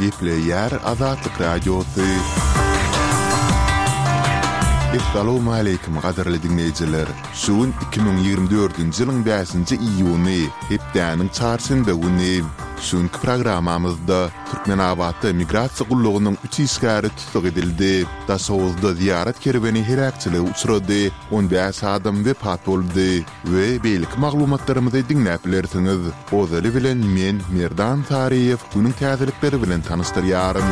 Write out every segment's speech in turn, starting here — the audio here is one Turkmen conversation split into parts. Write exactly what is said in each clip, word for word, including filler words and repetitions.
Gepleýär Azatlyk Radiosy. Essalawmaleýkim gadyrly diňleýjiler! Şu gün iki müň ýigrimi dördünji ýylyň bäşinji iýuny, hepdäniň çarşenbe güni. Şu günki programmamyzda Türkmenabatda migrasiýa gullugynyň üç işgäri tussag edildi. Daşoguzda zyýarat kerweni heläkçilige uçrady, on bäş adam wepat boldy we beýleki maglumatlarymyzy diňläp bilersiňiz. Ozaly bilen men, Merdan Saryýew, günüň täzelikleri bilen tanyşdyrýaryn.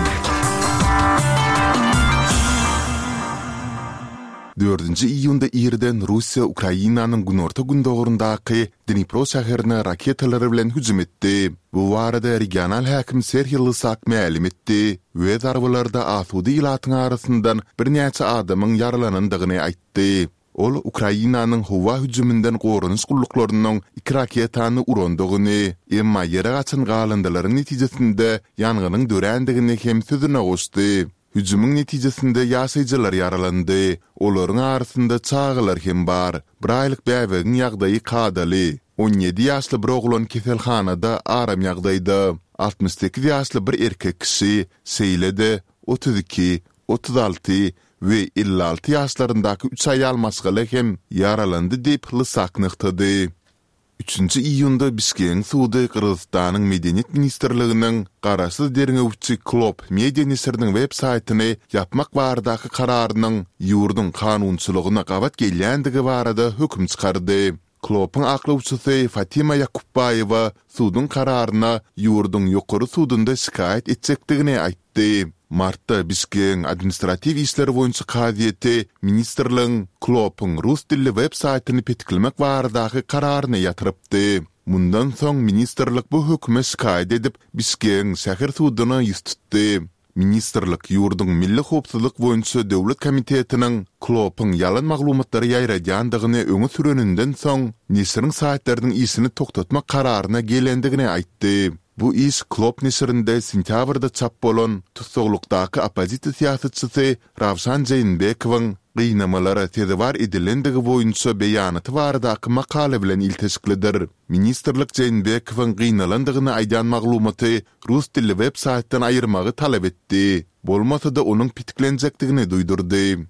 Dördünji iýunda irden Russiýa Ukrainanyň günorta-gündogaryndaky Dnipro şäherine raketalar bilen hüjüm etdi. Bu barada regional häkim Serhiý Lysak mälim etdi we zarbalarda asuda ilatyň arasyndan birnäçe adamyň ýaralanandygyny aýtdy. Ol Ukrainanyň howa hüjüminden goranyş gulluklarynyň iki raketany urandygyny, emma ýere gaçan galyndylaryň netijesinde ýangynyň dörändigini hem sözüne goşdy. Hüjümiň netijesinde ýaşaýjylar ýaralandy. Olaryň arasynda çagalar hem bar. Bir aýlyk bäbegiň ýagdaýy kadaly. On ýedi ýaşly bir oglan keselhanada aram ýagdaýda. Altmyş sekiz ýaşly bir erkek kişi, şeýle-de, otuz iki, otuz alty we elli alty ýaşlaryndaky üç aýal maşgala hem ýaralandy diýip, Lysak nygtady. Üçünji iýunda Bişkegiň sudy Gyrgyzystanyň Medeniýet ministrliginiň garaşsyz derňewçi Klopp media neşiriniň web saýtyny ýapmak baradaky kararynyň ýurduň kanunçylygyna gabat gelýändigi barada höküm çykardy. Kloppyň aklawçysy Fatima Ýakupbaýewa suduň kararyna ýurduň Ýokary sudunda şikaýat etjekdigini aýtdy. Martda Bişkegiň administratiw işler boýunça kazyýeti ministrligiň Kloppyň rus dilli web saýtyny petiklemek baradaky kararyny ýatyrypdy. Mundan soň ministrlik bu höküme şikaýat edip, Bişkegiň şäher suduna ýüz tutdy. Ministrlik ýurduň Milli howpsuzlyk boýunça döwlet komitetiniň Kloppyň ýalan maglumatlary ýaýradýandygyny öňe süreninden soň, neşiriň saýtlarynyň işini togtatmak kararyna gelendigini aýtdy. Bu iş Klopp neşirinde sentýabrda çap bolan tussaglykdaky oppozisiýa syýasatçysy Rawşan Jeýnbekowyň gynamalara sezewar edilendigi boýunça beýanaty baradaky makala bilen ilteşiklidir. Ministrlik Jeýnbekowyň gynalandygyny aýdýan maglumaty rus dilli web saýtdan aýyrmagy talap etdi. Bolmasa-da onuň petiklenjekdigini duýdurdy.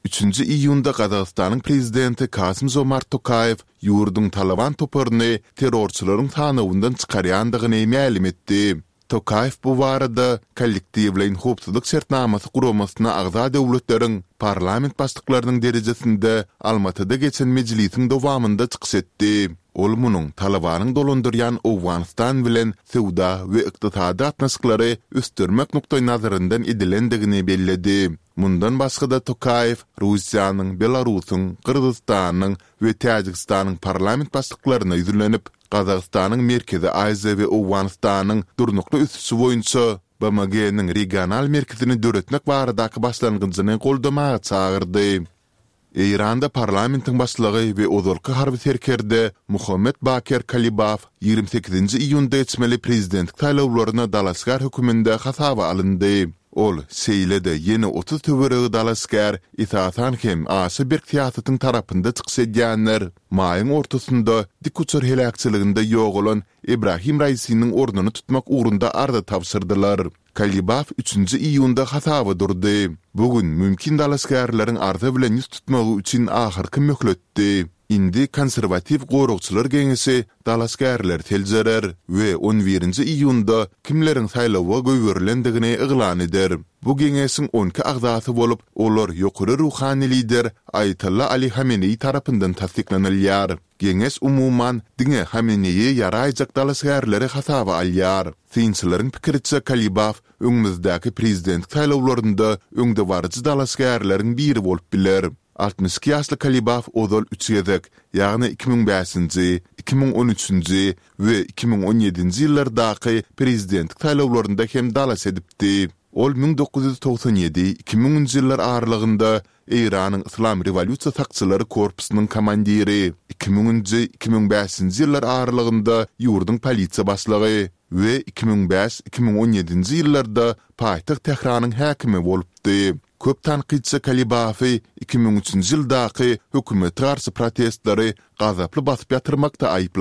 Üçünji iýunda Gazagystanyň prezidenti Kasym-Žomart Tokaýew ýurduň Talaban toparyny terrorçylaryň sanawyndan çykarýandygyny mälim etdi. Tokaýew bu barada Kollektiwleýin howpsuzlyk şertnamasy guramasyna agza döwletleriň parlament başlyklarynyň derejesinde Almatyda geçen mejlisiň dowamynda çykyş etdi. Ol munuň Talabanyň dolandyrýan Owganystan bilen söwda we ykdysady gatnaşyklary ösdürmek nukdaýnazaryndan edilendigini belledi. Mundan başga-da Tokaýew Russiýanyň, Belarusyň, Gyrgyzystanyň we Täjigistanyň parlament başlyklaryna ýüzlenip, Gazagystanyň Merkezi Aziýa we Owganystanyň durnukly ösüşi boýunça BMG-niň regional merkezini döretmek baradaky başlangyjyny goldamaga çagyrdy. Eýranda parlamentiň başlygy we ozalky harby serkerde Muhammet Baker Kalibaf ýigrimi sekizinji iýunda geçmeli prezidentlik saýlawlaryna dalaşgär höküminde hasaba alyndy. Ol, şeýle-de ýene otuz töweregi dalaşgär, esasan hem aşa berk syýasatyň tarapynda çykyş edýänler, maýyň ortasynda dikuçar heläkçiliginde ýogalan Ebrahim Raisiniň ornuny tutmak ugrunda arza tabşyrdylar. Kalibaf üçünji iýunda hasaba durdy. Bu gün mümkin dalaşgärleriň arza bilen ýüz tutmagy üçin ahyrky möhletdi. Indi Konserwatiw goragçylar geňeşi dalaşgärleri seljerer we on birinji iýunda kimleriň saýlawa goýberilendigini yglan eder. Bu geňeşiň on iki agzasy bolup, olar ýokary ruhany lider Aýatolla Ali Hameneýi tarapyndan tassyklanylýar. Geňeş umuman diňe Hameneýe ýaraýjak dalaşgärleri hasaba alýar. Synçylaryň pikiriçe Kalibaf öňümizdäki prezidentlik saýlawlarynda öňdebaryjy dalaşgärleriň biri bolup biler. Altmyş iki ýaşly Kalibaf ozal üç gezek, ýagny iki müň bäşinji, iki müň on üçünji we iki müň on ýedinji ýyllardaky prezidentlik saýlawlarynda hem dalaş edipdi. Ol müň dokuz ýüz togsan ýedi, iki müňünji ýyllar aralygynda Eýranyň Yslam rewolýusiýa sakçylary korpusynyň komandiri, iki müňünji, iki müň bäşinji ýyllar aralygynda ýurduň polisiýa başlygy we iki müň bäş, iki müň on ýedinji ýyllarda paýtagt Tähranyň häkimi bolupdy. Köp tankytçy Kalibafy iki müň üçünji ýyldaky hökümete garşy protestleri gazaply basyp ýatyrmakda aýyplady.